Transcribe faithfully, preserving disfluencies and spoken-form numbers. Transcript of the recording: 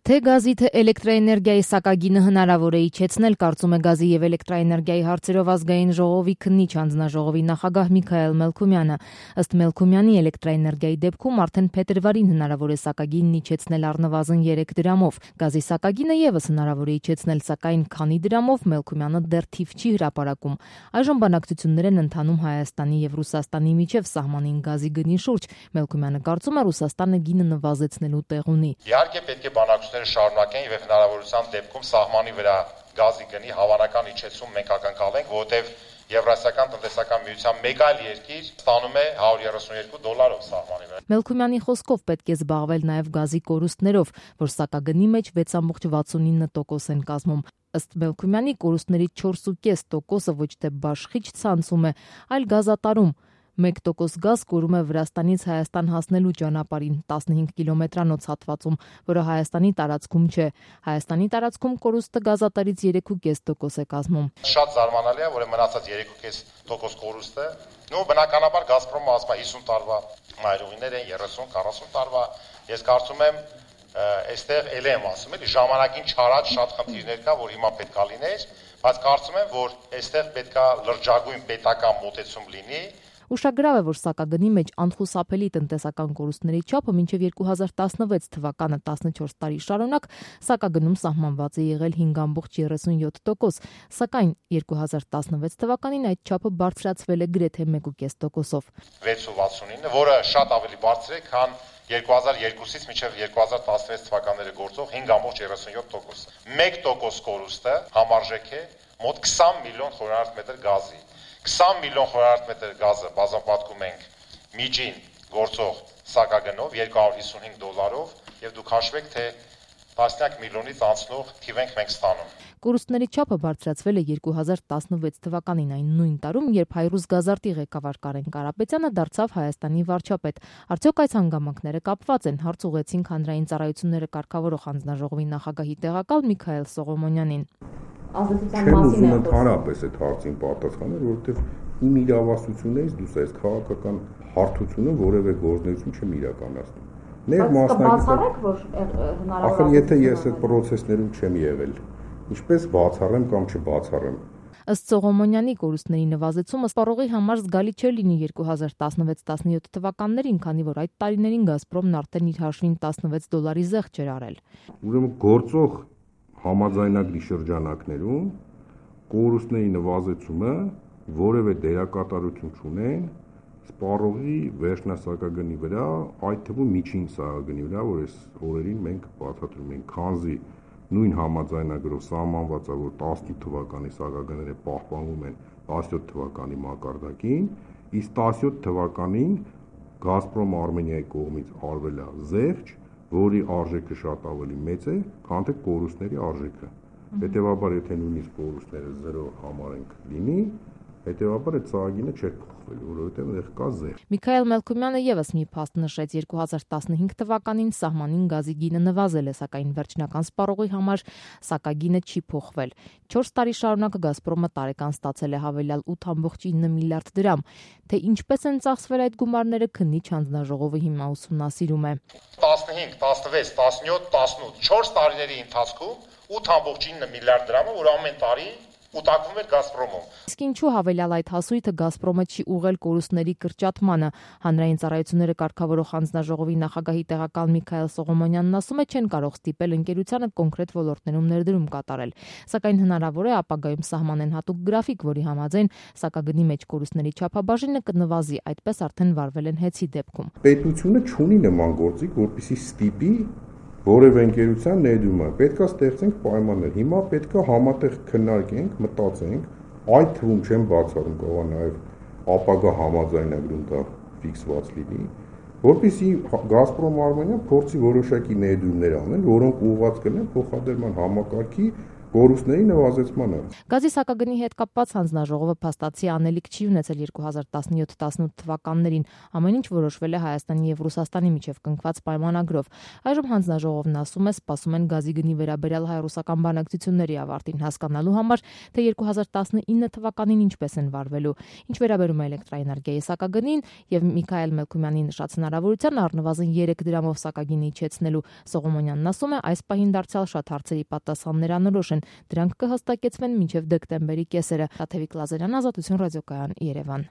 Թե գազի, թե էլեկտրաէներգիայի սակագինը հնարավոր է իջեցնել, կարծում է գազի եւ էլեկտրաէներգիայի հարցերով ազգային ժողովի քննիչ հանձնաժողովի նախագահ Միքայել Մելքումյանը։ Ըստ Մելքումյանի, էլեկտրաէներգիայի դեպքում արդեն փետրվարին հնարավոր է սակագինն իջեցնել առնվազն երեք դրամով։ Գազի սակագինը եւս հնարավոր է իջեցնել, սակայն քանի դրամով Մելքումյանը դեռ թիվ չի հրապարակում։ Այժմ բանակցություններ են ընթանում Հայաստանի եւ Ռուսաստանի միջև սահմանին գազի գնի շուրջ։ Մելքումյանը կարծում է, Ռուսաստանը գինը նվազեցնելու տեղ ունի։ Իհարկե պետք է բանակցությունները շարունակեն եւ հնարավորության դեպքում սահմանի վրա գազի գնի հավանական իջեցում մենք ակնկալենք, որովհետեւ Եվրասիական տնտեսական միության մեկ այլ երկիր ստանում է հարյուր երեսունյոթ դոլարով սահմանի վրա։ Մելքումյանի խոսքով պետք է զբաղվել նաեւ գազի կորուստներով, որ սակագնի մեջ վեց կόμμα վաթսունինը տոկոս են կազմում։ Ըստ Մելքումյանի, կորուստների չորս կόμμα պենս տոկոսը ոչ թե բաշխիչ ցանցում է, այլ գազատարում։ մեկ տոկոս գազ կորում է Վրաստանից Հայաստան հասնելու ճանապարհին տասնհինգ կիլոմետրանոց հատվածում, որը Հայաստանի տարածքում չէ։ Հայաստանի տարածքում կորուստը գազատարից երեք կόμμα պենս տոկոս է կազմում։ Շատ զարմանալի է, որ մնացած երեք կόμма պենս տոկոս կորուստը, նո բնականաբար Գազպրոմը ասում է հիսուն տարվա մայրուղիներ են, երեսուն քառասուն տարվա։ Ես կարծում եմ այստեղ էլ եմ ասում, էլի ժամանակին չարած շատ խնդիրներ կա, որ հիմա պետք է լիներ, բայց կարծում եմ, որ այստեղ պետք է լրջագույն պետական մոտեցում լինի։ Ուշագրավ է, որ սակագնի մեջ անխուսափելի տնտեսական կորուստների չափը մինչև երկու հազար տասնվեց թվականը տասնչորս տարի շարունակ սակագնում սահմանված է եղել հինգ կόμma երեսունյոթ տոկոս, սակայն երկու հազար տասնվեց թվականին այդ չափը բարձրացվել է գրեթե մեկ կόμma պենս տոկոսով։ վեց կόμma վաթսունինը, որը շատ ավելի բարձր է, քան երկու հազար երկուսից մինչև երկու հազար տասնվեց թվականները գործող հինգ կόμma երեսունյոթ տոկոս։ մեկ տոկոս կորուստը համարժեք է մոտ քսան միլիոն խորանարդ մետր գազի։ քսան միլիոն խորանարդ մետր գազը բազմապատկում ենք միջին գործող սակագնով երկու հարյուր հիսունհինգ դոլարով եւ դուք հաշվեք, թե տասնյակ միլիոնից անցնող թիվ ենք մենք ստանում։ Կորուստների չափը բարձրացվել է երկու հազար տասնվեց թվականին, այն նույն տարում, երբ Հայրուսգազարտի ղեկավար Կարեն Կարապետյանը դարձավ Հայաստանի վարչապետ։ Արդյոք այս հանգամանքները կապված են, հարց ուղղեցինք հանրային ծառայությունները կարգավորող հանձնաժողովի նախագահի տեղակալ Միքայել Սողոմոնյանին։ Ազդեցության մասին է ընդհանրապես այդ հարցին պատասխանել, որովհետև իմ իրավասություններից դուրս այս քաղաքական հարթությունը որևէ գործունեություն չեմ իրականացնում։ Ներ մասնակցեք, որ հնարավոր է։ Ախր եթե ես այդ process-ներում չեմ եղել, ինչպես բացառեմ կամ չբացառեմ։ Ըստ Սողոմոնյանի, կորուստների նվազեցումը սպառողի համար զգալի չէ լինի երկու հազար տասնվեց տասնյոթ թվականներին, քանի որ այդ տարիներին Գազպրոմն արդեն իր հաշվին տասնվեց դոլարի զեղչ էր արել։ Ուրեմն գործող համաձայնագրի շրջանակներում կորուստների նվազեցումը որևէ դերակատարություն չունեն սպառողի վերջնասակագնի վրա, այդ թվում միջին սակագնի վրա, որ այս օրերին մենք բացատրում ենք, քանզի նույն համաձայնագրով սահմանված է, որ տասնութ թվականի սակագները պահպանվում են տասնյոթ թվականի մակարդակին, իսկ տասնյոթ թվականին Գազպրոմ Արմենիայի կողմից արվել է զեղչ, որի արժեքը շատ ավելի մեծ է, քան թե կորուստների արժեքը։ Հետևաբար, եթե նույնիսկ կորուստները զրո համարենք լինի, հետևաբար այդ սահագինը չէր փոխվել, որովհետև այդտեղ կա զեղչ։ Միքայել Մելքումյանը եւս մի փաստ նշեց, երկու հազար տասնհինգ թվականին սահմանին գազի գինը նվազել է, սակայն վերջնական սպառողի համար սակագինը չի փոխվել։ չորս տարի շարունակ Գազպրոմը տարեկան ստացել է հավելյալ ութ կόμμα ինը միլիարդ դրամ, թե ինչպես են ծախսվել այդ գումարները, քննիչ հանձնաժողովը հիմա ուսումնասիրում է։ տասնհինգ, տասնվեց, տասնյոթ, տասնութ, չորս տարիների ընթացքում ութ կόμμα ինը միլիարդ դրամը, որ ամեն տարի ուտակվում էր Գազպրոմում։ Իսկ ինչու հավելյալ այդ հասույթը Գազպրոմը չի ուղղել կորուստների կրճատմանը։ Հանրային ծառայությունները կարգավորող հանձնաժողովի նախագահի տեղակալ Միքայել Սողոմոնյանն ասում է, չեն կարող ստիպել ընկերությանը կոնկրետ ոլորտներում ներդրում կատարել, սակայն հնարավոր է ապագայում սահմանեն հատուկ գրաֆիկ, որի համաձայն սակագնի մեջ կորուստների չափաբաժինը կնվազի, այդպես արդեն վարվել են հեծի դեպքում։ Պետությունը չունի նման գործիք, որպեսզի ստիպի որևէ ընկերության ներդրումը, պետք է ստեղծենք պայմաններ։ Հիմա պետք է համատեղ քննարկենք, մտածենք, այդ թվում չեմ բացառում, կարող է նաև ապագա համաձայնագրում դա ֆիքսված լինի, որպեսզի Գազպրոմ Արմենիան փորձի որոշակի ներդրումներ անել, որոնք ուղղված կլինեն փոխադրման համակարգի կորուստների նվազեցմանը։ Գազի սակագնի հետ կապված հանձնաժողովը փաստացի անելիք չի ունեցել երկու հազար տասնյոթ տասնութ թվականներին, ամեն ինչ որոշվել է Հայաստանի եւ Ռուսաստանի միջև կնքված պայմանագրով։ Այժմ հանձնաժողովն ասում է, սպասում են գազի գնի վերաբերյալ հայ-ռուսական բանակցությունների ավարտին հասկանալու համար, թե երկու հազար տասնինը թվականին ինչպես են վարվելու։ Ինչ վերաբերում է էլեկտրաէներգիայի սակագնին եւ Միքայել Մելքումյանի նշած հնարավորության առնվազն երեք դրամով սակագինը իջեցնելու, Սողոմոնյանն ասում է, այս պահին դարձյալ շատ հարցերի պատասխաններ անորոշ են, դրանք կհստակեցվեն մինչև դեկտեմբերի կեսերը։ Տաթևիկ Լազարյան, Ազատություն ռադիոկայան, Երևան։